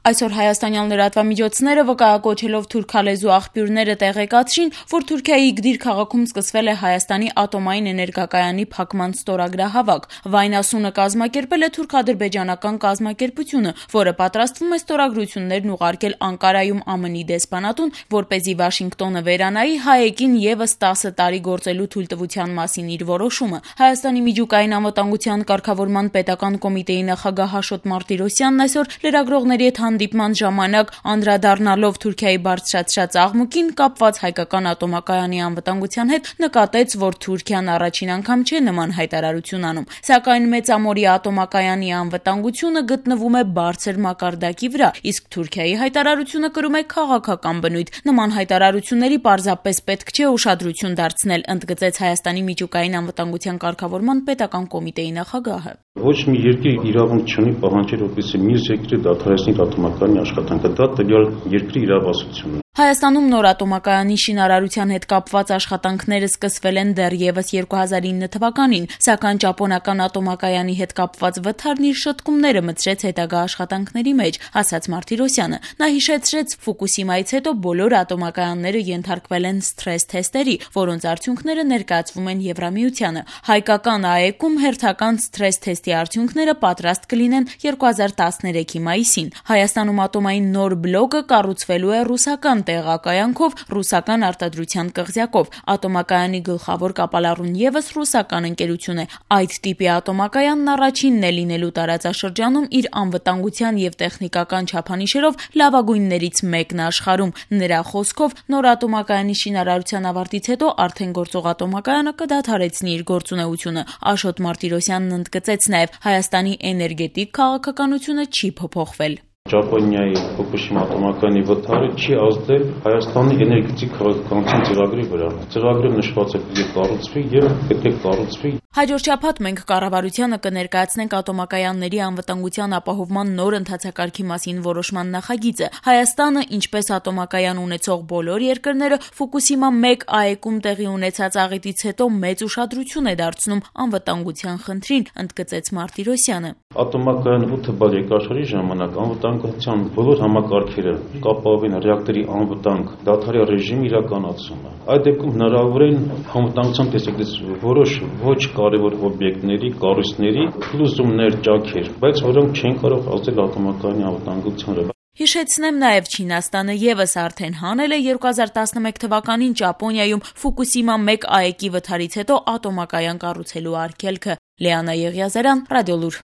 Այսօր հայաստանյան լրատվամիջոցները վկայակոչելով թուրքալեզու աղբյուրները տեղեկացրին, որ Թուրքիայի Իգդիր քաղաքում սկսվել է Հայաստանի ատոմային էներգակայանի փակման ստորագրահավաք։ Վայնասունը կազմակերպել է թուրք-ադրբեջանական կազմակերպությունը, որը պատրաստվում է ստորագրություններն ուղարկել Անկարայում ԱՄՆ-ի դեսպանատուն, որպեսզի Վաշինգտոնը վերանայի Հայեկին ևս 10 տարի գործելու թույլտվության մասին իր որոշումը։ Հայաստանի միջուկային անվտանգության կարգավորման պետական կոմիտեի նախագահ Աշոտ Մարտիրոսյանն այսօր լրագրողների հետ հանդիպման ժամանակ անդրադառնալով Թուրքիայի բարձրացրած աղմուկին կապված հայկական ատոմակայանի անվտանգության հետ նկատեց, որ Թուրքիան առաջին անգամ չէ նման հայտարարություն անում, սակայն Մեծամորի ատոմակայանի անվտանգությունը գտնվում է բարձր մակարդակի վրա, իսկ Թուրքիայի հայտարարությունը կրում է քաղաքական բնույթ։ Նման հայտարարությունների պարզապես պետք չէ ուշադրություն դարձնել, ընդգծեց Հայաստանի միջուկային անվտանգության կարգավորման պետական կոմիտեի նախագահը։ Ոչ մի երկիր իրավունք չունի պահանջել, որպեսզի մյուս երկրի դադարեցնի ատոմակայանի աշխատանքը, դա տվյալ երկրի իրավասությունն է։ Հայաստանում նոր ատոմակայանի շինարարության հետ կապված աշխատանքները սկսվել են դեռևս 2009 թվականին, սակայն ճապոնական ատոմակայանի հետ կապված վթարն իր շտկումները մտցրեց հետագա աշխատանքների մեջ, ասաց Մարտիրոսյանը։ Նա հիշեցրեց, Ֆուկուսիմայից հետո բոլոր ատոմակայանները ենթարկվել են սթրես թեստերի, որոնց արդյունքները ներկայացվում են Եվրամիությանը։ Հայկական ԱԷԿ-ում հերթական սթրես թեստի արդյունքները պատրաստ կլինեն 2013-ի մայիսին։ Հայաստանում ատոմային նոր բլոկը կառուցվելու է ռուսական տեղակայանքով, ռուսական արտադրության կղզյակով։ Ատոմակայանի գլխավոր կապալառուն ևս ռուսական ընկերություն է։ Այդ տիպի ատոմակայանն առաջինն է լինելու տարածաշրջանում իր անվտանգության եւ տեխնիկական չափանիշերով լավագույններից մեկն աշխարհում։ Նրա խոսքով նոր ատոմակայանի շինարարության ավարտից հետո արդեն գործող ատոմակայանը կդադարեցնի իր գործունեությունը։ Աշոտ Մարտիրոսյանն ընդգծեց նաեւ Հայաստանի էներգետիկ քաղաքականությունը չի փոփոխվել։ Ճապոնիայի Ֆուկուշիմա ատոմակայանի վթարը չի ազդել Հայաստանի էներգետիկ քաղաքականության ծրագրի վրա։ Ծրագրը նշված է պետք է կառուցվի եւ պետք է կառուցվի։ Հաջորդ շաբաթ մենք կառավարությանը կներկայացնենք ատոմակայանների անվտանգության ապահովման նոր ընթացակարգի մասին որոշման նախագիծը։ Հայաստանը, ինչպես ատոմակայան ունեցող բոլոր երկրները, Ֆուկուսիմա 1 ԱԵԿ-ում տեղի ունեցած աղետից հետո մեծ ուշադրություն է դարձնում անվտանգության խնդրին, ընդգծեց Մարտիրոսյանը։ Ատոմակայան 8 բալ երկրաշխարհի ժամանակ անվտանգության բոլոր համակարգերը կապավեն ռեակտորի անվտանգ դադարի ռեժիմի իրականացումը։ Այդ դեպքում հնարավոր են անվտանգության տեսակետից որոշ ոչ կարևոր օբյեկտների, կառույցների փլուզումներ, ճաքեր, բայց որոնք չեն կարող ազդել ատոմակայանի անվտանգության վրա։ Հիշեցնեմ նաև Չինաստանը ևս արդեն հանել է 2011 թվականին Ճապոնիայում Ֆուկուսիմա 1 ԱԵԿ-ի վթարից հետո ատոմակայան կառուցելու արգելքը։ Լիանա Եղիազարյան, Ռադիոլուր։